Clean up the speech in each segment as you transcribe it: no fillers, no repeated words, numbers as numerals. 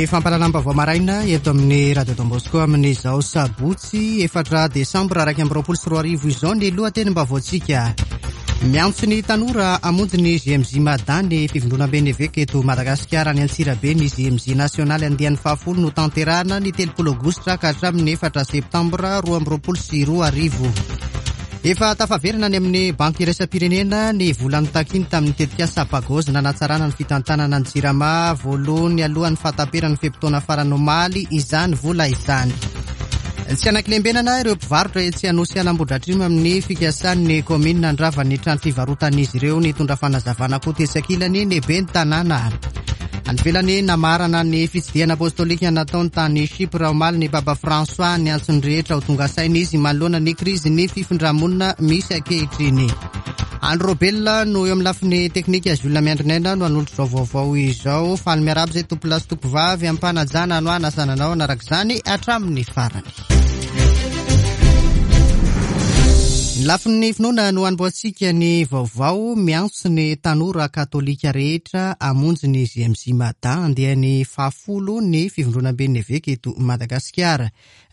Ny fampahalalam-baovao maraina eto amin'ny Radio Don Bosco amin'izao sabotsy 4 desambra 2021 izao ny lohatenim-baovaontsika. Miantso ny tanora hamonjy ny GMJ Mada ny fivondronamben'ny eveka eto Madagasikara any Antsirabe ny GMJ nasionaly andiany fahafolo no tanterahana ny 30 aogositra ka hatramin'ny 4 septambra 2022. Efa tafaverina any amin'ny Banky Iraisam-pirenena ny vola notakiny tamin'ny tetikasa Pagoz nanatsarana ny fitantanana ny Jirama voalohany alohan'ny fahataperan'ny fe-potoana farany omaly izany vola izany. Tsy anankilembenana ireo mpivarotra etsy Anosiala Ambohidratrimo amin'ny fikasan'ny kaominina handrava ny trano fivarotan'izy ireo. Nitondra fanazavana koa tetsy ankilany ny ben'ny tanàna. Any ivelany, namarana ny fitsidihana apostolika nataony tany Chypre omaly ny Papa François. Niantso ny rehetra ho tonga saina izy manoloana ny krizin'ny fifindra-monina misy ankehitriny. Andry Robelina no eo amin'ny lafiny teknika, Jules Miandrinaina no hanolotra izao vaovao izao. Faly miarahaba izay tompolahy sy tompovavy am-panajana no hanasana anao hanaraka izany hatramin'ny farany. Ny lafiny finoana no hanombohantsika ny vaovao. Miantso ny tanora katolika rehetra hamonjy ny GMJ Mada andiany fahafolo ny fivondronamben'ny eveka eto Madagasikara.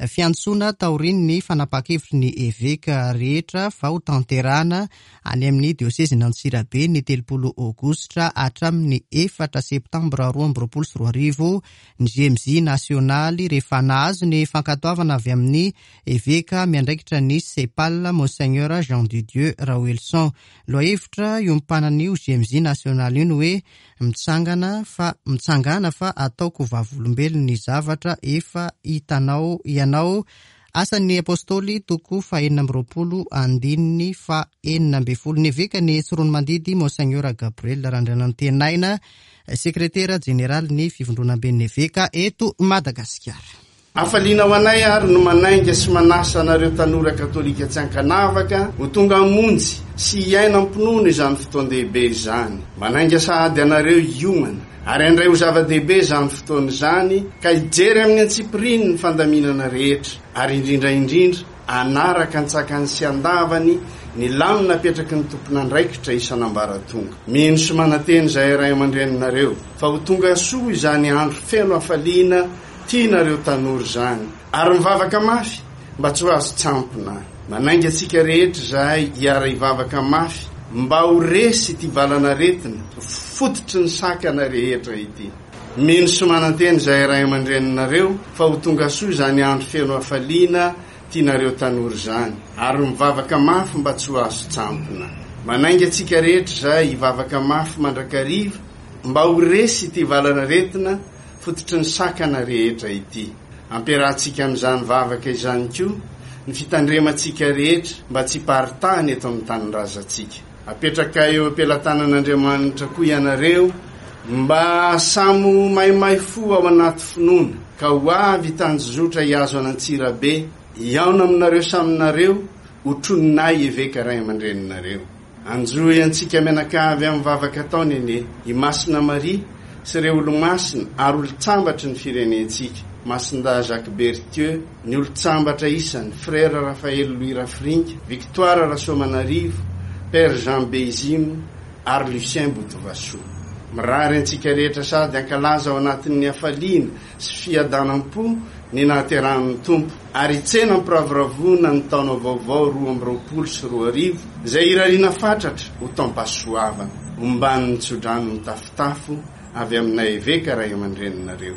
Fiantsoana taorian'ny fanapahan-kevitry ny eveka rehetra fa ho tanterahana any amin'ny diosezin'Antsirabe ny 30 aogositra hatramin'ny 4 septambra 2022 ny GMJ nasionaly rehefa nahazo ny fankatoavana avy amin'ny Eveka miandraikitra ny Cepal, Monseigneur Jean de Dieu Raoelison. Lohahevitra iompanan'io GMJ nasionaly io ny hoe Mitsangana fa mitsangàna fa ataoko vavolombelon'ny zavatra efa hitanao ianao, Asan'ny Apostoly toko fahenina amby roapolo andininy faha-16. Ny Evekan'i Tsiroanomandidy, Monseigneur Gabriel Randrianantenaina, Sekretera Jeneralin'ny Fivondronamben'ny Eveka eto Madagasikara. Hafaliana ho anay ary no manainga sy manasa anareo tanora katolika tsy ankanavaka ho tonga hamonjy sy hiaina am-pinoana izany fotoan-dehibe izany. Manainga sahady anareo hiomana ary handray ho zava-dehibe izany fotoana izany ka hijery amin'ny antsipiriany ny fandaminana rehetra ary indrindra indrindra hanaraka an-tsakany sy an-davany ny lamina apetraky ny tompon'andraikitra isan'ambaratonga. Mino sy manantena izahay ray aman-dreninareo fa ho tonga soa izany andro feno hafaliana Tianareo tanora izany ary mivavaka mafy mba tsy ho azo tsampona. Manainga antsika rehetra izahay hiara-hivavaka mafy mba ho resy ity valan'aretina fototry ny sakana rehetra ity. Mino sy manantena izahay ray aman-dreninareo fa ho tonga soa izany andro feno hafaliana tianareo tanora izany ary mivavaka mafy mba tsy ho azo tsampona. Manainga antsika rehetra izahay hivavaka mafy mandrakariva mba ho resy ity valan'aretina fototry ny sakana rehetra ity. Ampiarahantsika amin'izany vavaka izany koa ny fitandremantsika rehetra mba tsy hiparitahany eto amin'ny tanindrazantsika. Apetraka eo am-pelatanan'Andriamanitra koa ianareo mba samy ho maimay fo ao anaty finoana ka ho avy hitanjozotra hihazo an'Antsirabe hihaona aminareo samy nareo hotroninay eveka ray aman-dreninareo. Anjohy antsika mianakavy amin'ny vavaka ataony anie i Masina Maria sy ireo olomasina ary olon-tsambatry ny firenentsika, Masindahy Jacques Berthieu, ny olon-tsambatra isany, Frère Raphaël Louis Rafiringa, Victoire Rasoamanarivo, Père Jean Beizimo ary Lucien Botovasoa. Mirary antsika rehetra sady hankalaza ao anatin'ny hafaliana sy fiadanam-po ny nahaterahan'ny Tompo, ary hitsena am-piravoravoana ny taona vaovao 2022, izay irariana fatratra ho taom-pahasoavana, omban'ny tsodrano mitafotafo avy aminay Eveka ray aman-dreninareo.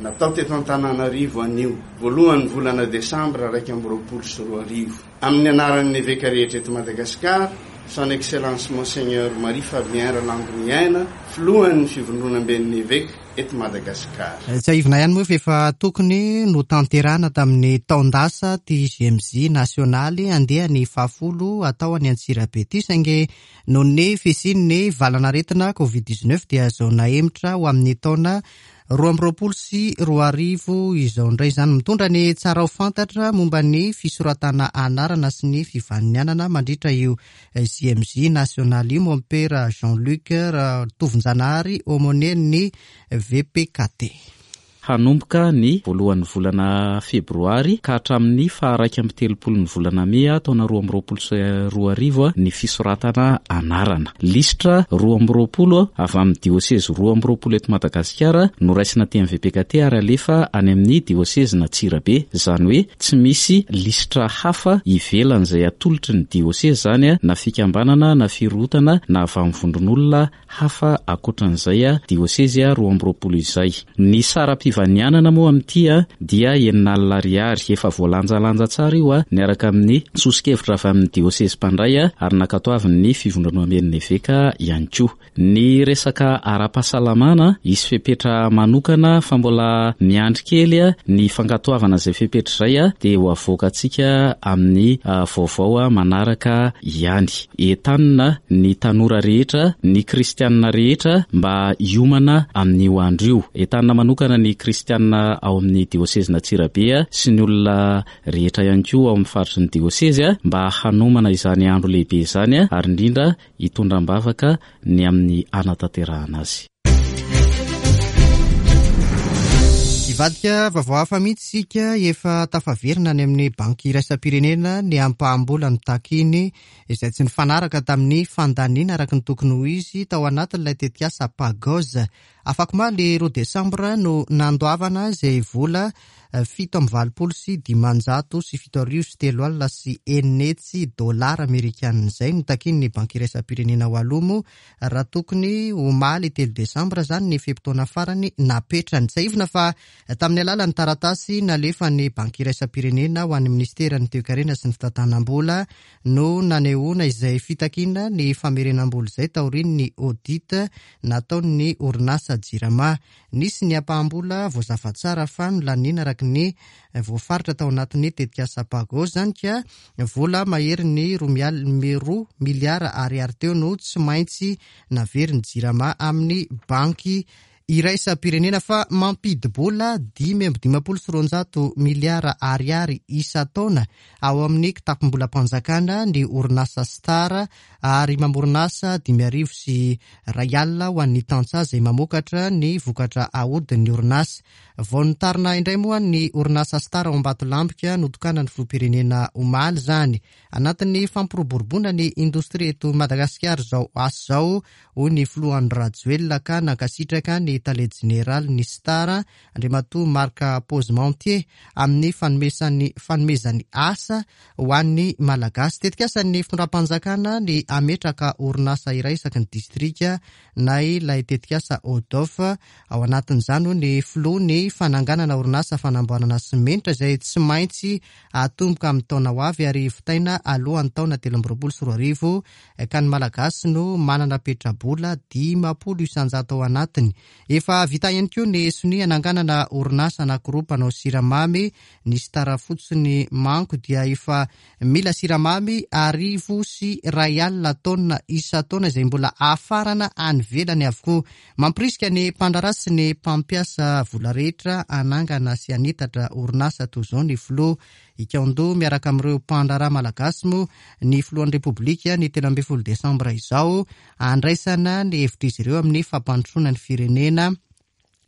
Natao teto Antananarivo anio, voalohan'ny volana desambra 2021. Amin'ny anaran'ny Eveka rehetra eto Madagasikara, Son Excellence Monseigneur Marie Fabien Ralandoniaina, Filohan'ny Fivondronamben'ny Eveka, eto Madagasikara. Tsiahivina ihany moa fa efa tokony notanterahina tamin'ny taon-dasa ity GMJ nasionaly andiany fahafolo atao any Antsirabe ity saingy noho ny fisian'ny valan'aretina Covid 19 dia izao nahemotra ho amin'ny taona 2022 izao indray izany. Mitondra ny tsara ho fantatra momba ny fisoratana anarana sy ny fivaninianana mandritra io JMJ nasionaly io Mompera Jean Luc Ratovonjanahary aumônier-n'ny VPKT. Hanomboka ny voalohan'ny volana febroary ka hatramin'ny faha 31 ny volana mey taona 2022 ny fisoratana anarana. Lisitra 22 avy amin'ny diosezy 22 eto Madagasikara no raisina aty amin'ny VPKT ary alefa any amin'ny diosezin'Antsirabe. Izany hoe tsy misy lisitra hafa ivelan'izay atolotry ny diosezy izany na fikambanana na firohotana na avy amin'ny vondron'olona hafa ankoatran'izay diosezy 22 izay. Ny saram-pivanianana moa amin'ity dia 60 ariary. Efa voalanjalanja tsara io niaraka amin'ny soso-kevitra avy amin'ny diosezy mpandray ary nankatoavin'ny fivondronamben'ny eveka ihany koa. Ny resaka ara-pahasalamana, hisy fepetra manokana fa mbola miandry kely ny fankatoavana izay fepetra izay dia ho avoakantsika amin'ny vaovao manaraka ihany. Entanina ny tanora rehetra, ny kristianina rehetra mba hiomana amin'io andro io. Entanina manokana ny kristianina ao amin'ny diosezin'Antsirabe sy ny olona rehetra ihany koa ao amin'ny faritry ny diosezy mba hanomana izany andro lehibe izany ary indrindra hitondra am-bavaka ny amin'ny hanatanterahana azy. Hivadika vaovao hafa mihitsy isika, efa tafaverina any amin'ny Banky iraisam-pirenena ny ampaham-bola notakiny izay tsy nifanaraka tamin'ny fandaniana araka ny tokony ho izy tao anatin'ilay tetikasa Pagoz. Afakomaly roa desambra no nandoavana izay vola 687,687 dolara amerikanina izay notakian'ny Banky iraisam-pirenena ho aloha moa raha tokony omaly telo desambra izany ny fe-potoana farany napetrany. Tsiahivina fa tamin'ny alalan'ny taratasy nalefan'ny Banky iraisam-pirenena ho an'ny minisiteran'ny Toekarena sy ny fitantanam-bola no nanehoana izay fitakiana ny famerenam-bola izay taorian'ny audit nataon'ny orinasa Jirama. Nisy ny ampaham-bola voazava tsara fa nolaniana araka ny voafaritra tao anatin'ny tetikasa Pago izany ka vola maherin'ny roa miliara ariary teo no tsy maintsy naverin'ny Jirama amin'ny banky iraisam-pirenena fa mampidi-bola 255 miliara ariary isan-taona ao amin'ny kitapom-bolam-panjakana ny orinasa Star ary mamorona asa 1005 ho an'ny tantsaha izay mamokatra ny vokatra ahodin'ny orinasa. Vao nitarina indray moa ny orinasa Star ao Ambatolampika notokanan'ny filoham-pirenena omaly izany. Anatin'ny fampiroboroboana ny indostria eto Madagasikara izao asa izao, hoy ny filoha Andry Rajoelina ka nankasitraka ny tale jeneralin'ny Star, Andriamatoa Marc Posementier, amin'ny fanomezany asa ho an'ny Malagasy. Tetikasan'ny fitondram-panjakana ny hametraka orinasa iray isaky ny distrika na ilay tetikasa ODOF. Ao anatin'izany hoy ny filoha ny fananganana orinasa fanamboarana simenitra izay tsy maintsy hatomboka amin'ny taona ho avy ary vitaina alohan'ny taona 2023 ka ny Malagasy no manana petrabola 50% ao anatiny. Efa vita ihany koa ny sonia hananganana orinasa anankiroa mpanao siramamy Ny star fotsiny manko dia efa mila siramamy 1100 taonina isan-taona izay mbola hafarana any ivelany avokoa. Mampirisika ny mpandraharaha sy ny mpampiasa vola rehetra hanangana sy hanitatra orinasa toy izao ny filoha. Hikaon-doha miaraka amin'ireo mpandraharaha malagasy moa ny filohan'ny Repoblika ny 13 desambra izao handraisana ny hevitr'izy ireo amin'ny fampandrosoana ny firenena.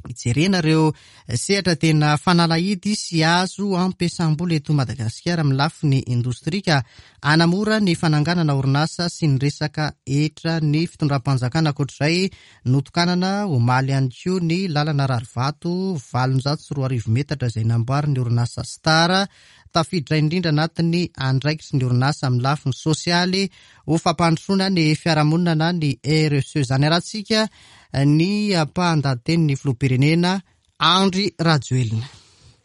Hijerena ireo sehatra tena fanalahidy sy azo ampiasam-bola eto Madagasikara amin'ny lafiny indostria ka hanamora ny fananganana orinasa sy ny resaka hetra ny fitondram-panjakana. Ankoatr'izay, notokanana omaly ihany koa ny lalana rarivato 2800 metatra izay namboarin'ny orinasa Star. Tafiditra indrindra anatin'ny andraikitry ny orinasa amin'ny lafiny sosialy ho fampandrosoana ny fiarahamonina na ny RSE. Izany arahantsika ny ampahan-dahatenin'ny filoham-pirenena Andry Rajoelina.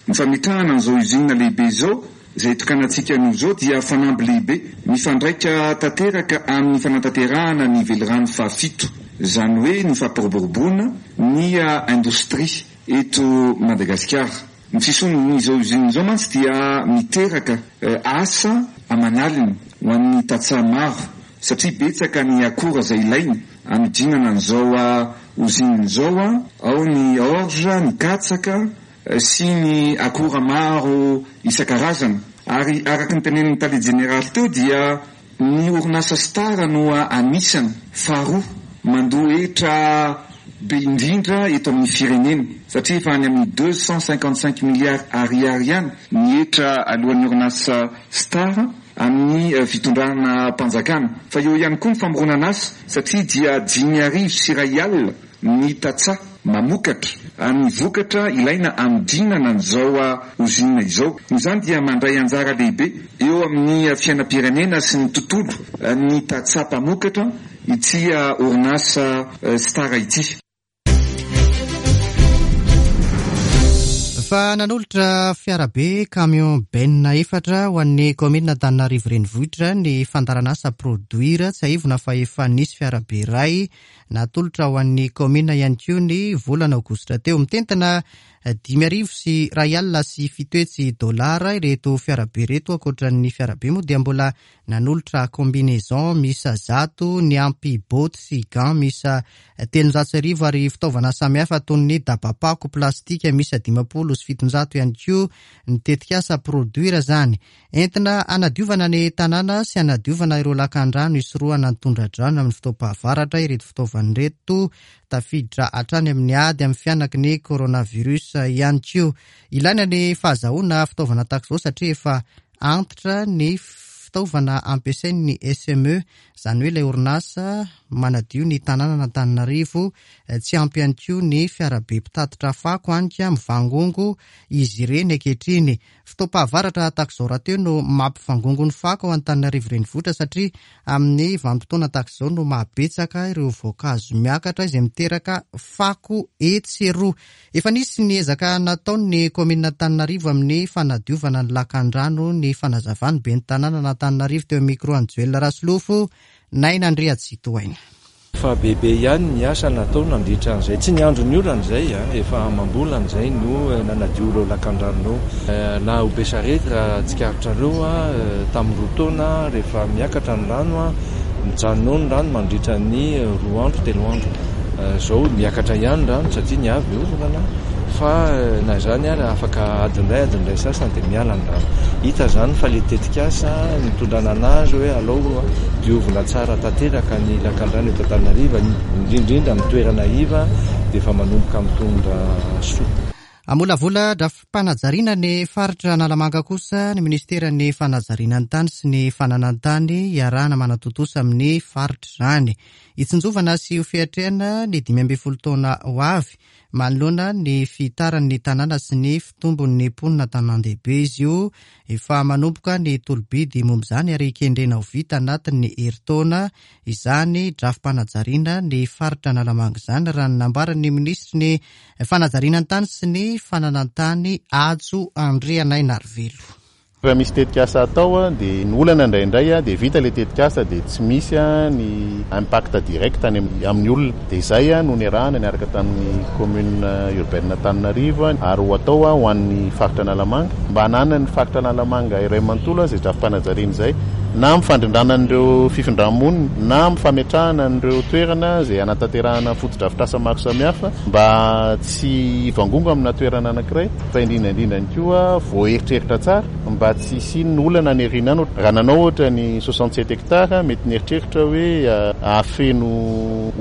Ny fametrahana an'izao usine lehibe izao, izay itokanantsika anio izao dia fanamby lehibe mifandraika tanteraka amin'ny fanatanterahana ny velirano fahafito, izany hoe ny fampiroboroboana ny indostria eto Madagasikara. Ny fisian'izao usine izao mantsy dia miteraka asa aman'aliny ho an'ny tantsaha maro satria betsaka ny akora izay ilaina hanodinana an'izao usine izao, ao ny orge, ny katsaka sy ny akora maro isan-karazany. Ary araka ny tenenin'ny tale jeneraly teo dia Ny orinasa Star no anisany faharoa mandoa hetra be indrindra eto amin'ny firenena satria efa any amin'ny 255 milliards ariary ihany ny hetra aloan'ny orinasa Star amin'ny fitondranam-panjakana. Fa eo ihany koa ny famoronana asa satria dia 5100 ny tantsaha mamokatra ny vokatra ilaina hanodinana an'izao ozinina izao. Noho izany dia mandray anjara lehibe eo amin'ny fiainam-pirenena sy ny tontolo ny tantsaha mpamokatra ity orinasa Star ity. Fa nanolotra fiarabe camion benne efatra ho an'ny kaominina Antananarivo Renivohitra ny fandaharanasa Produir. Tsiahivina fa efa nisy fiarabe iray natolotra ho an'ny kaominina ihany koa ny volana aogositra teo. Mitentina 750 dolara ireto fiarabe ireto. Ankoatra ny fiarabe moa dia mbola Nanolotra combinaison miisa 100 niampy bottes sy gants miisa 1300 ary fitaovana samihafa toy ny dabapako plastika miisa 750 ihany koa ny tetikasa Produir izany. Entina hanadiovana ny tanàna sy hanadiovana ireo lakandrano hisorohana ny tondra-drano amin'ny fotoam-pahavaratra ireto fitaovana ireto, tafiditra hatrany amin'ny ady amin'ny fihanaky ny coronavirus ihany koa. Ilaina ny fahazahoana fitaovana tahaka izao satria efa Antitra ny fitaovana ampiasain'ny SME, izany hoe ilay orinasa manadio ny tanànan'Antananarivo. Tsy ampy ihany koa ny fiarabe mpitatitra fako any ka mivangongo izy ireny ankehitriny. Fotoam-pahavaratra tahaka izao rahateo no mampivangongo ny fako ao Antananarivo Renivohitra satria amin'ny vanim-potoana tahaka izao no mahabetsaka ireo voankazo miakatra izay miteraka fako etsy sy eroa. Efa nisy ny ezaka nataon'ny kaominina Antananarivo amin'ny fanadiovana ny lakandrano, ny fanazavan'ny ben'ny tanànan'Antananarivo teo amin'ny micro an'i Joel Rasolofo, Naina Andriatsitohaina. Efa bebe ihany ny asa natao nandritra an'izay, tsy ny andron'ny orana izay, efa amam-bolana izay no nanadio ireo lakandrano ireo. Na ho Besarety raha tsikaritrareo tamin'ny roa taona rehefa miakatra ny rano, Mijanona ao ny rano mandritra ny roa andro, telo andro. Izao miakatra ihany ny rano satria ny avy orana fa na izany ary afaka adiny iray, adiny iray sasany dia miala ny rano. Hita izany fa ilay tetikasa nitondrana anazy hoe alao diovina tsara tanteraka ny lakandrano eto Antananarivo, indrindra indrindra amin'ny toerana iva dia efa manomboka mitondra soa. Hamolavola drafi-panajariana ny faritra Analamanga kosa ny minisiteran'ny Fanajariana ny tany sy ny fananan-tany iarahana manatontosa amin'ny faritra izany. Hitsinjovana sy ho fiatrehana ny 15 taona ho avy manoloana ny fihitaran'ny tanàna sy ny fitombon'ny mponina an-tanàn-dehibe izy io. Efa manomboka ny tolo-bidy momba izany ary kendrena ho vita anatin'ny herintaona izany drafi-panajariana ny faritra Analamanga izany, raha ny nambaran'ny minisitry ny Fanajariana ny tany sy ny fananan-tany Hajo Andrianainarivelo. Raha misy tetikasa atao dia ny olana indraindray dia vita ilay tetikasa dia tsy misy ny impact direct any amin'ny olona. Dia izay no niarahana niaraka tamin'ny commune urbaine Antananarivo ary ho atao ho an'ny faritra Analamanga mba hananan'ny faritra Analamanga iray manontolo izay drafi-panajariana izay na amin'ny fandrindrana an'ireo fifindra-monina na amin'ny fametrahana an'ireo toerana izay hanatanterahana fotodrafitrasa maro samihafa mba tsy hivangongo amina toerana anankiray fa indrindra indrindra ihany koa voaeritreritra tsara mba tsy hisian'ny olana any aoriana any. Raha nanao ohatra ny 67 hectares mety nieritreritra hoe hahafeno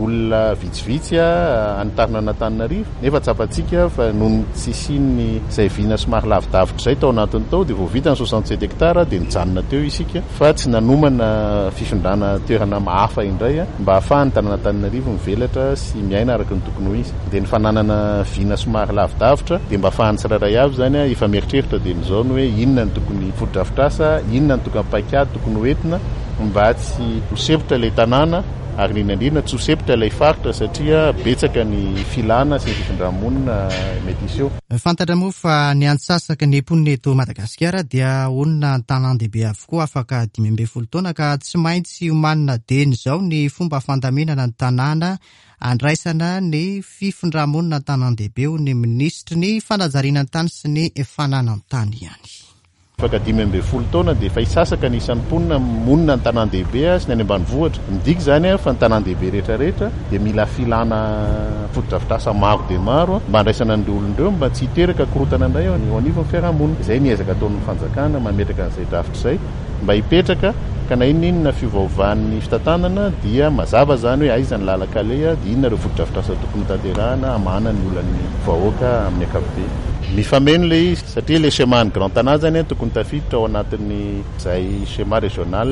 olona vitsivitsy any Tarina an'Antananarivo nefa tsapantsika fa noho ny tsy hisian'ny izay vina somary lavidavitra izay tao anatiny tao dia vao vita ny 67 hectares dia nijanona teo isika fa tsy nanomana fifindrana toerana hafa indray mba hahafahan'ny tanàn'Antananarivo mivelatra sy miaina araka ny tokony ho izy. Dia ny fananana vina somary lavidavitra dia mba ahafahan'ny tsirairay avy izany efa mieritreritra dieny izao ny hoe inona no tokony fotodrafitrasa, inona no tokony paikady tokony ho entina mba tsy ho sempotra ilay tanàna ary indrindra indrindra tsy ho sempotra ilay faritra satria betsaka ny filana sy ny fifindra-monina mety hiseho. Fantatra moa fa ny antsasaky ny mponina eto Madagasikara dia honina an-tanàn-dehibe avokoa afaka 15 taona ka tsy maintsy omanina dieny izao ny fomba fandaminana ny tanàna andraisana ny fifindra-monina an-tanàn-dehibe hoy ny minisitry ny fanajariana ny tany sy ny fananan-tany ihany. Afaka 15 taona dia efa hisasaka ny isan'ny mponina monina an-tanàn-dehibe sy ny any ambanivohitra. Midika izany fa ny tanàn-dehibe rehetra rehetra dia mila filana fotodrafitrasa maro dia maro mba handraisana an'ireo olona ireo mba tsy hiteraka korontana indray eo anivon'ny fiarahamonina. Izay ny ezaka ataon'ny fanjakana mametraka an'izay drafitra izay mba hipetraka. Ka na inona inona fiovaovan'ny fitantanana dia mazava izany hoe aiza ny lalan-kaleha dia inona ireo fotodrafitrasa tokony hotanterahana hamahana ny olan'ny vahoaka amin'ny ankapobeny. Mifameno ilay izy satria ilay schéma an'ny Grand Tana izany tokony tafiditra ao anatin'izay schéma régional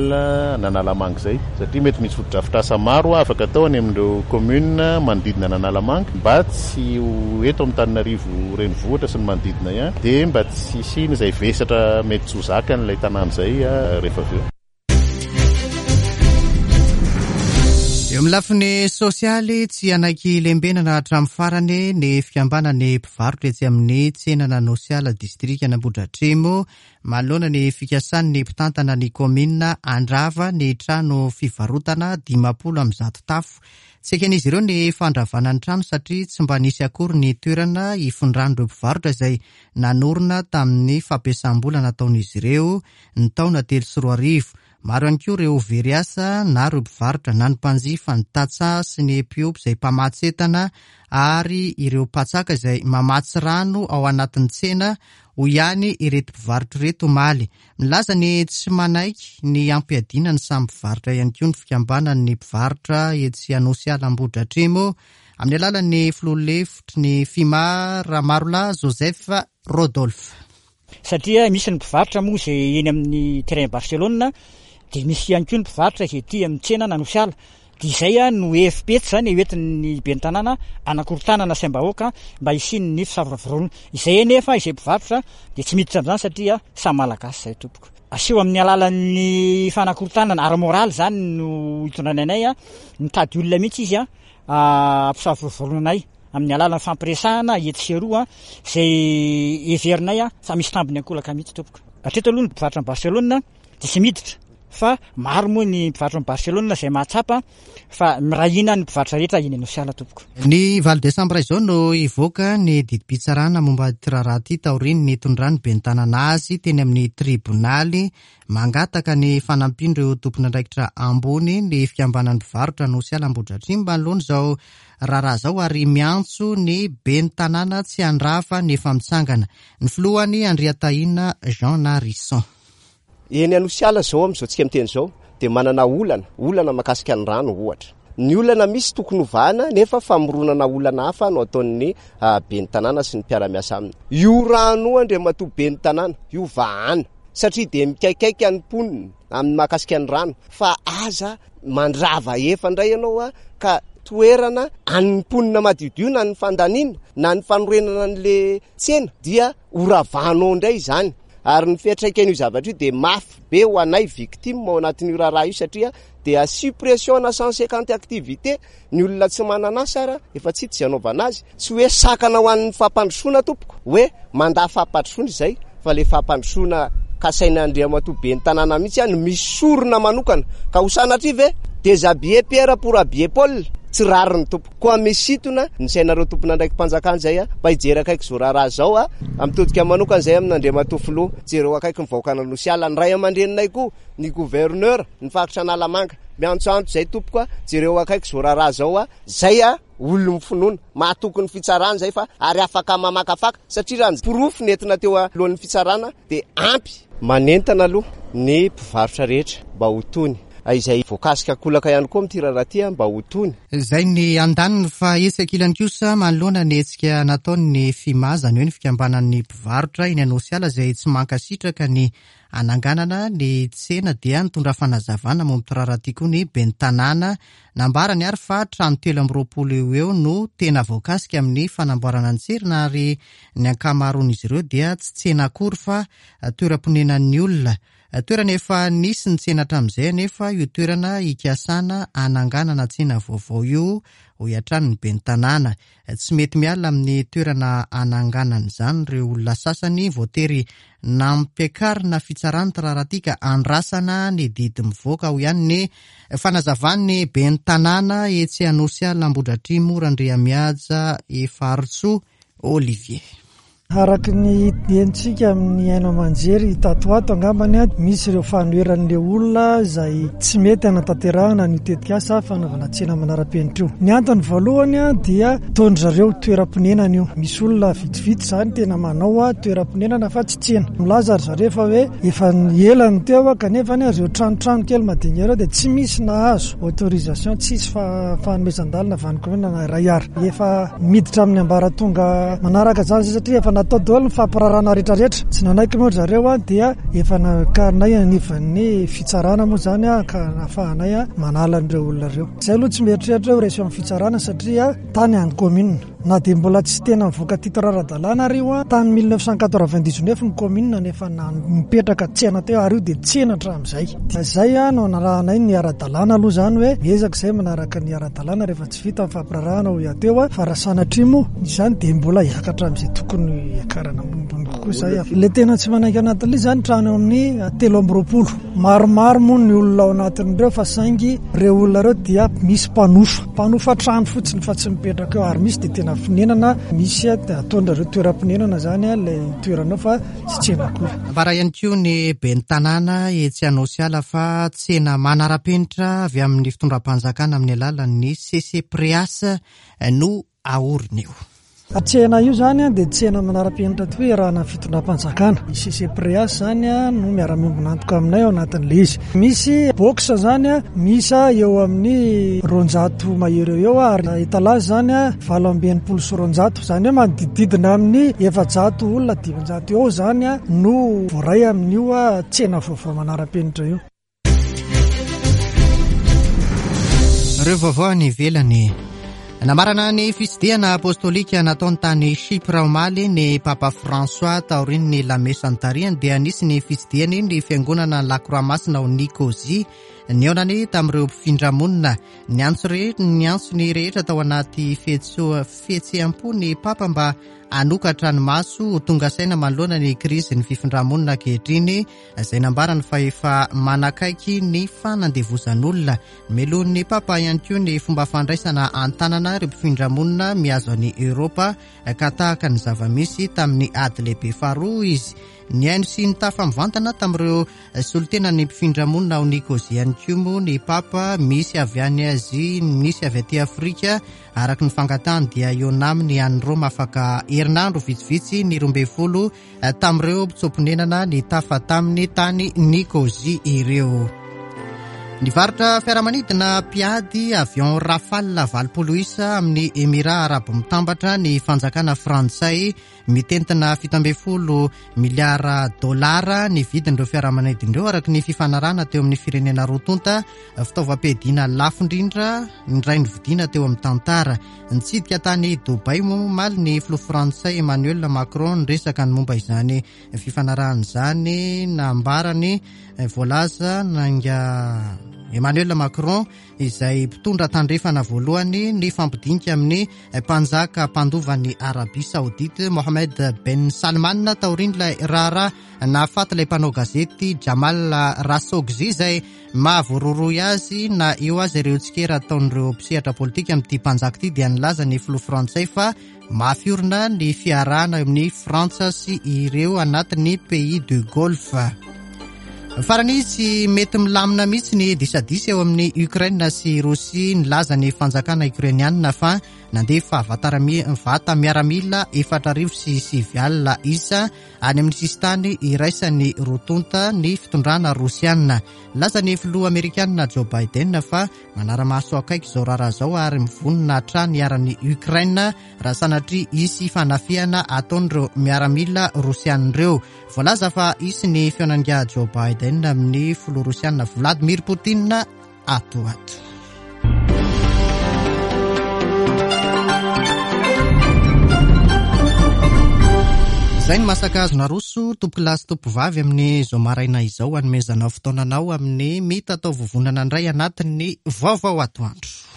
an'Analamanga izay satria mety misy fotodrafitrasa maro afaka atao any amin'ireo commune manodidina an'Analamanga mba tsy ho eto Antananarivo renivohitra sy ny manodidina ihany dia mba tsy hisian'izay vesatra mety tsy ho zakan'ilay tanàna izay rehefa avy eo. Eo amin'ny lafiny sosialy, tsy hanaiky lembenana hatramin'ny farany ny fikambanan'ny mpivarotra etsy amin'ny tsenan'Anosiala, distrikan'Ambohidratrimo, manoloana ny fikasan'ny mpitantana ny kaominina handrava ny trano fivarotana 150 tafo. Tsy eken'izy ireo ny fandravana ny trano satria tsy mba nisy akory ny toerana hifindran'ireo mpivarotra izay nanorina tamin'ny fampiasam-bola nataon'izy ireo ny taona 2003. Maro ihany koa ireo very asa na ireo mpivarotra na ny mpanjifa, ny tantsaha sy ny mpiompy izay mpamatsy entana ary ireo mpatsaka izay mamatsy rano ao anatin'ny tsena, hoy ihany ireto mpivarotra ireto omaly. Milaza ny tsy manaiky ny hampiadiana ny samy mpivarotra ihany koa ny fikambanan'ny mpivarotra etsy Anosiala Ambohidratrimo amin'ny alalan'ny filoha lefitry ny Fima Ramarolahy Joseph Rodolphe. Satria misy ny mpivarotra moa izay eny amin'ny terrain Barcelone dia misy ihany koa ny mpivarotra izay aty amin'ny tsena Anosiala. Dia izay no hevi-petsy izany hoentin'ny ben'ny tanàna hanakorontanana saim-bahoaka mba hisian'ny fisavorovoroana. Izay anefa izay mpivarotra dia tsy miditra amin'izany satria samy Malagasy izahay tompoko. Aseho amin'ny alalan'ny fanakorontanana ara-moraly izany no itondrany anay, mitady olona mihitsy izy hampisavorovoroana anay. amin'ny alalan'ny fampiresahana etsy sy eroa izay heverinay fa misy tambiny ankolaka mihitsy tompoko. Hatreto aloha ny mpivarotra any Barcelone dia tsy miditra fa maro moa ny mpivarotra any Barcelone izay mahatsapa fa miray hina ny mpivarotra rehetra eny Anosiala tompoko. Ny valo desambra izao no hivoaka ny didim-pitsarana momba ity raharaha ity taorian'ny nitondran'ny ben'ny tanàna azy teny amin'ny tribonaly Mangataka ny fanampian'ireo tompon'andraikitra ambony ny fikambanan'ny mpivarotra Anosiala Ambohidratrimo manoloana izao raharaha izao ary miantso ny ben'ny tanàna tsy handrava ny efa mitsangana. Ny filohany Andriatahina Jean Narison. Eny Anosiala izao amin'izao tsika miteny izao dia manana olana, olana mahakasika ny rano ohatra. Ny olana misy tokony hovahana nefa famoronana olana hafa no ataon'ny ben'ny tanàna sy ny mpiara-miasa aminy. Io rano io Andriamatoa ben'ny tanàna, io vahana. Satria dia mikaikaika ny mponina amin'ny mahakasika ny rano fa aza mandrava efa indray ianao a ka toerana an'ny mponina madiodio na ny fandaniana na ny fanorenana an'le tsena dia horavanao indray izany ary ny fiantraikan'io zavatra io dia mafy be ho anay victime ao anatin'io raharaha io satria dia suppression na 150 activité Ny olona tsy manana asa ara efa tsy hita izay anaovana azy. Tsy hoe sakana ho an'ny fampandrosoana tompoko hoe mandà fampandrosoana izay fa le fampandrosoana kasain'Andriamatoa ben'ny tanàna mihitsy no misy sorona manokana. Ka ho sanatria ve déshabiller Pierre pour habiller Paul? Tsy rariny tompoko. Koa misintona ny sainareo tompon'andraiki-panjakana izay mba hijery akaiky izao raharaha izao a. Mitodika manokana izay amin'Andriamatoa Filoha, jereo akaiky ny vahoakan'Anosiala, ny ray aman-dreninay koa, ny gouverneur, ny faritra Analamanga. Miantsoantso izay tompoko a, jereo akaiky izao raharaha izao a, zay a olon'ny finoana, mahatoky ny fitsarana izay fa ary afaka mamakafaka satria raha ny porofo nentina teo alohan'ny fitsarana dia ampy. Manentana aloha ny mpivarotra rehetra mba ho tony, izay voakasika ankolaka ihany koa amin'ity raharaha ity mba ho tony. Izay ny andaniny fa etsy ankilany kosa manoloana ny hetsika nataon'ny FIMA, izany hoe ny fikambanan'ny mpivarotra eny Anosiala izay tsy mankasitraka ny Hananganana ny tsena dia nitondra fanazavana momba ity raharaha ity koa ny ben'ny tanàna. Nambarany ary fa trano 23 eo ho eo no tena voakasika amin'ny fanamboarana ny tsena ary ny ankamaroan'izy ireo dia tsy tsena akory fa toeram-ponenan'ny olona. Toerana efa nisy ny tsena hatramin'izay anefa io toerana hikasana hananganana tsena vaovao io, hoy hatrany ny ben'ny tanàna. Tsy mety miala amin'ny toerana ananganana izany ireo olona sasany voatery nampiakarina fitsarana ity raharaha ity ka andrasana ny didy mivoaka, hoy ihany ny fanazavan'ny ben'ny tanàna etsy Anosiala Ambohidratrimo Randriamihaja Efaritsoa Olivier. Araka ny henontsika amin'ny haino aman-jery tato ho ato angambany, misy ireo fanoheran'ilay olona izay tsy mety hanatanterahana an'io tetikasa fanaovana tsena manara-penitra io. Ny antony voalohany dia ataon-dry zareo toeram-ponenana io. Misy olona vitsivitsy izany tena manao toeram-ponenana fa tsy tsena. Milaza ry zareo fa hoe efa ela no teo kanefa ireo tranotrano kely madinika ireo dia tsy misy nahazo autorisation, tsisy fanomezan-dalana avy any commune na iray ary. Efa miditra amin'ny ambaratonga manaraka izany izay satria efa natao daholo ny fampirarana rehetrarehetra. Tsy nanaiky moa ry zareo dia efa nakarinay anivon'ny fitsarana moa izany ka nahafahanay manala an'ireo olona ireo. Izay aloha tsy mieritreritra hoe ho resy eo amin'ny fitsarana satria tany an'ny commune. Na dia mbola tsy tena nivoaka titre ara-dalàna ary io, tany 1999 ny commune no efa nipetraka tsena teo ary io dia tsena hatramin'izay. Izay no anarahanay ny ara-dalàna aloha izany hoe miezaka izay manaraka ny ara-dalàna rehefa tsy vita ny fampirarahana hoy aho teo fa raha sanatria moa izany dia mbola hiakatra amin'izay tokony hiakarana ambonimbony kokoa izay. Ilay tena tsy manaiky anatin'ilay izy izany trano eo amin'ny 23. Maromaro moa ny olona ao anatin'ireo fa saingy ireo olona ireo dia misy mpanofa. Mpanofa trano fotsiny fa tsy mipetraka eo ary misy dia tena fonenana misy ataon'ireo toeram-ponenana izany ilay toerana eo fa tsy tsena akory. Nambara ihany koa ny ben'ny tanàna etsy Anosiala fa tsena manara-penitra avy amin'ny fitondram-panjakana amin'ny alalan'ny CCPREAS no aorina eo. Tsena io izany dia tsena manara-penitra tokoa iarahana amin'ny fitondram-panjakana. Ny CCPREAS izany no miara-miombon'antoka aminay ao anatin'ilay izy. Misy box izany miisa eo amin'ny 200 mahery eo eo ary étalage izany 268. Izany hoe manodidididina amin'ny 400 olona 500 eo izany no voaray amin'io tsena vaovao manara-penitra io. Ireo vaovao any ivelany. Namarana ny fitsidihana apostolika nataony tany Chypre omaly ny Papa François taorian'ny lamesa nitarihany dia nisy ny fitsidihany ny fiangonana La Croix Masina ao Nicosie. Nihaonany tamin'ireo mpifindra monina. Niantso niantso ny rehetra tao anaty fihetseham-po ny Papa mba hanokatra ny maso ho tonga saina manoloana ny krizin'ny fifindra-monina ankehitriny izay nambarany fa efa manakaiky ny fanandevozan'olona. Melohin'ny Papa ihany koa ny fomba fandraisana an-tanana ireo mpifindra-monina mihazo an'i Eoropa ka tahaka ny zava-misy tamin'ny ady lehibe faharoa izy. Nihaino sy nitafa mivantana tamin'ireo solontenan'ny mpifindra-monina ao Nicosie ihany koa moa ny Papa, misy avy any Azia, misy avy aty Afrika. Araka ny fangatahany dia hihaona aminy any Roma afaka herinandro vitsivitsy ny 12 tamin'ireo mpitsoa-ponenana nitafa taminy tany Nicosie ireo. Nivarotra fiaramanidina mpiady avion Rafale 80 isa amin'ny Emirats Arabo Mitambatra ny fanjakana frantsay. Mitentina 17 miliara dolara ny vidin'ireo fiaramanidina ireo araka ny fifanarahana teo amin'ny firenena roa tonta. Fitaovam-piadiana lafo indrindra indray novidiana teo amin'ny tantara. Nitsidika tany Dubaï moa omaly ny filoha frantsay Emmanuel Macron niresaka ny momba izany fifanarahana izany. Nambarany voalaza nainga Emmanuel Macron izay mpitondra tandrefana voalohany nifampidinika amin'ny mpanjaka mpandova ny Arabie Saoudite Mohammed Ben Salman taorian'ilay raharaha nahafaty ilay mpanao gazety Jamal Khashoggi izay Mahavoarohirohy azy na eo aza ireo tsikera ataon'ireo mpisehatra politika amin'ity mpanjaka ity dia nilaza ny filoha frantsay fa mafy orina ny fiarahana eo amin'ny Frantsa sy ireo anatin'ny pays du Golfe. Farany tsy mety milamina mihitsy ny disadisa eo amin'ny Ukraine sy Rosia. Nilaza ny fanjakana Ukrainianina fa nandefa vata miaramila 4009 isa Any amin'ny sisintany iraisan'ny roa tonta ny fitondrana rosiana. Nilaza ny filoha amerikanina Joe Biden fa manara-maso akaiky izao raharaha izao ary mivonona hatrany hiaran'i Ukraine raha sanatria hisy fanafihana ataon'ireo miaramila rosiana ireo. Voalaza fa hisy ny fihaonan'ingahy Joe Biden amin'ny filoha rosiana Vladimir Putin ato ho ato. Izay ny masaka azo naroso tompokolahy sy tompovavy amin'izao maraina izao hanomezana fotoananao amin'ny mitatao vovonana indray anatin'ny vaovao atoandro.